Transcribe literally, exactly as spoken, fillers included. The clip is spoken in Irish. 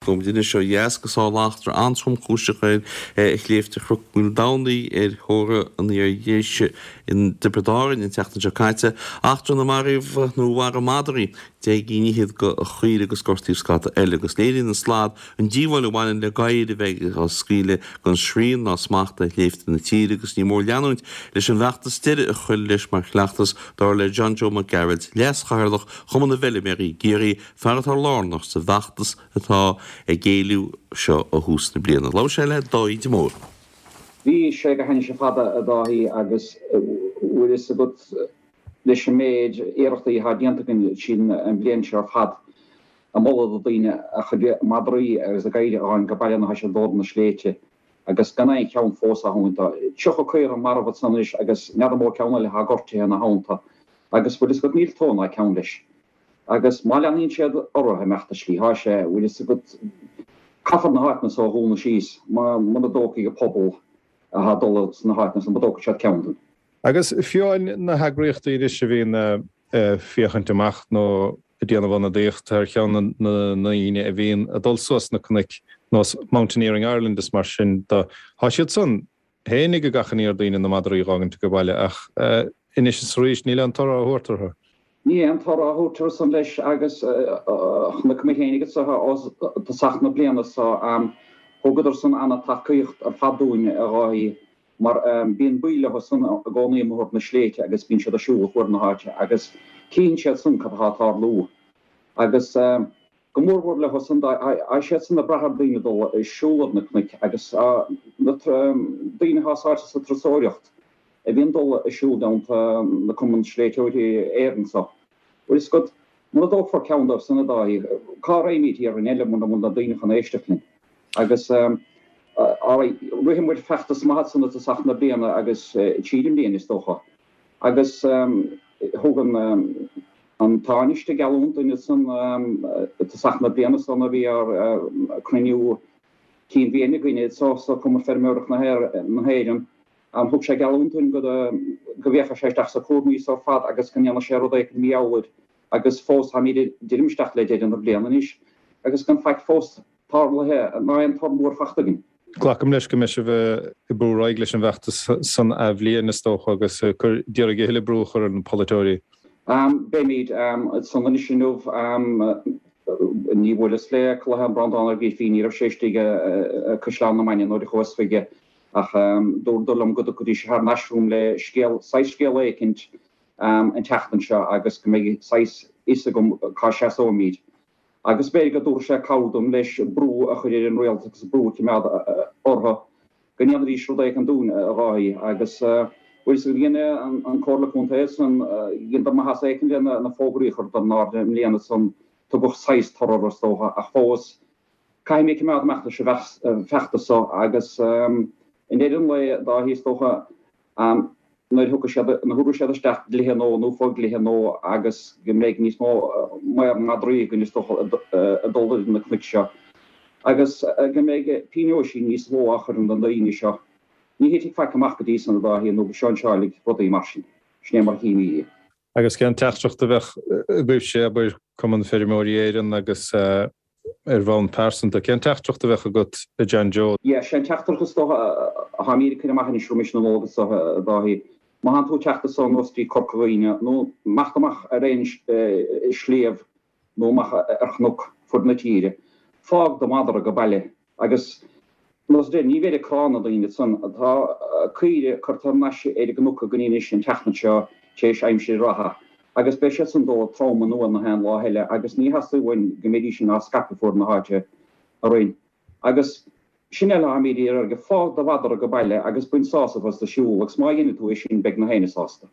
Gabhfaidh muid anois ó dheas go tharla eachtra an-tromchúiseach ar shléibhte Chnoc Mhaoldomhnaigh ar thóir an Iardhéise i dTiobraid Árann an tseachtain seo caite. Eachtra inar maraíodh nó mharaigh madraí deich gcinn fhichead de chaoirigh agus gortaíodh scata eile agus léiríonn an slad an díobháil a bhaineann le gadhair a bheith á scaoileadh gan srian ná smacht ar shléibhte na tíre agus ní mór leanúint leis an bhfeachtas deireadh a chur leis mar chleachtas dar le John Joe Mac Gearailt, Leas-Chathaoirleach Chumann na bhFeilméaraí i gCiarraí, fear atá lárnach sa bhfeachtas atá ag éileamh seo ó thús na bliana. Labhair sé le Dáithí de Mór. Bhí sé go hainnis fada a Dháithí agus bhfuil fhios agat leis an méid iarrachtaí atá déanta againn sin an bhliain seo ar fad ag moladh do daoine a chuid madraí agus a gadhair a fhágáil go baile nuair atá siad ag dul ar na sléibhte agus gan aon cheann fós á thabhairt. Tá tríocha caora marbh ansan anois agus n'fheadar an mó ceann eile atá gortaithe ina theannta agus bhfuil fhios agat níl tó ná ceann leis. Agus má leanaíonn siad orthu ag imeacht an slí thá sé, bhfuil fhios agat, caithfear na háiteanna so a dhúnadh síos muna dtógfaidh an pobal athá ag dul sna háiteanna so, muna dtógfaidh siad ceann den. Agus fiú amháin na heagraíochtaí anois a bhíonn ag féachaint amach nó ag déanamh ionadaíocht thar cheann na ndaoine a bhíonn ag dul suas na cnoic, nós Mountaineering Ireland is mar sin de, thá siad san féinig ag achainí ar daoine na madraí a dh'fhágaint age baile ach anois is arís níl aon toradh á thabhairt orthu. Níl aon toradh á thabhairt orthu san leis agus chonaic mé féinig anso ó tosach na bliana so thugadar san ana-tacaíocht ar fad dúinn a Dháithí mar bíonn baill leo san i gcónaí amuigh ar na sléibhte agus bíonn siad ag siúl fuaid na háite agus cíonn siad san cad atá ag tarlú agus go mórmhór leo san tá siad san ag brath ar daoine dul ag siúl ar na cnoic agus na daoine atá sáite sa turasóireacht a bhíonn dul ag siúl i dteannta na Cumann Sléibhteoirí Éireann so. Bhfuil fhios agat, muna dtógfar ceann dóibh san a Dháithí, cá raghaimid iarainn eile muna bhfuil na daoine chun éisteacht linn? Agus alright, rith muid feachtas maith ansan i dtosach na bliana agus tríd an mbliain is dócha. Agus thug an an Tánaiste geallúint dúinn ansan i dtosach na bliana so nuair a bhí ár cruinniú cinn bhliana againn anso sa Cumann Feirmeoireachta na hÉireann, Thug sé geallúint dúinn go go bhféachfadh sé isteach sa cúramaí so ar fad agus go ndéanfadh sé rud éicint mar gheall air agus fós táimid ag druidim isteach le deireadh na bliana anois agus gan faic fós tarlaithe ná aon toradh mór fachta againn. Glacaim leis go mbeidh sibh ag brú ar aghaidh leis an bhfeachtas san athbhliain is dócha agus ag cur d'iarraidh a thuilleadh brú a chur ar na polaiteoirí. Beimid san anois inniu. Ní bhuaileas le Colohan Breandán Ó Grifín, ní raibh sé istigh i Caisleán na Mainge nuair a chuas chuige. Ach dúradar liom go dtiocfaidís thar n-ais chugam le scéal, saghas scéala éicint an tseachtain seo agus go mbeidh saghas fhios agam cá seasóimid. Agus b'fhéidir go dtabharfaidh sé cabhair dom leis brú a chur ar an rialtas agus brú a choimeád orthu go ndéanfaidís rud éicint dúinn, a Dháithí. Agus bhfuil fhios agat, dhein an Comhairle Contae san, dheineadar maitheas éicint le na fógraí a chur in airde i mbliana san, tugadh saghas toradh orthu is dócha, ach fós, Caithfidh mé coimeád amach leis an bhfeachtas so agus i ndeireadh an lae, a Dháithí, is dócha, nuair a thiocfaidh siad, nuair a thabharfaidh siad isteach dlíthe nua nó fo-dhlíthe nua agus go mbeidh níos mó maor madraí againn is dócha ag dul ar na cnoic seo agus go mbeidh pionóisí níos mó á chur ar na daoine seo. Ní thitfidh faic amach go dtí san, a Dháithí, nó go seinnseáilfidh rudaí mar sin. Sin é mar a chímid é. Agus cén teachtaireacht a bheadh agaibhse, abair, Cumann Feirmeoirí Éireann agus ar bhonn pearsanta, cén teachtaireacht a bheadh agat a John Joe? Yeah, sé an teachtaireacht is dócha atáimid ag cur amach anois roimis na Nollag so, a Dháithí. Má thánn tú ag teacht anso anuas dtí Corca Dhuibhne nó imeacht amach ar aon sliabh nó amach ar chnoc fuaid na tíre, fág do mhadra go baile agus nós a deir, ní bheir ag crá na daoine ansan. Tá caoire curtha thar n-ais ar an gcnoc againn anois an tseachtain seo tar éis aimsir reatha agus beidh siad san dul trom anuas na haon lá eile agus ní theastaíonn uainn go mbeidís sin á scaipeadh fuaid na háite araon. Agus sin eile atáimid ag iarraidh, fág do mhadra go baile agus bain sásamh as do shiúl agus má dhéanann tú é sin beidh na héinne sásta.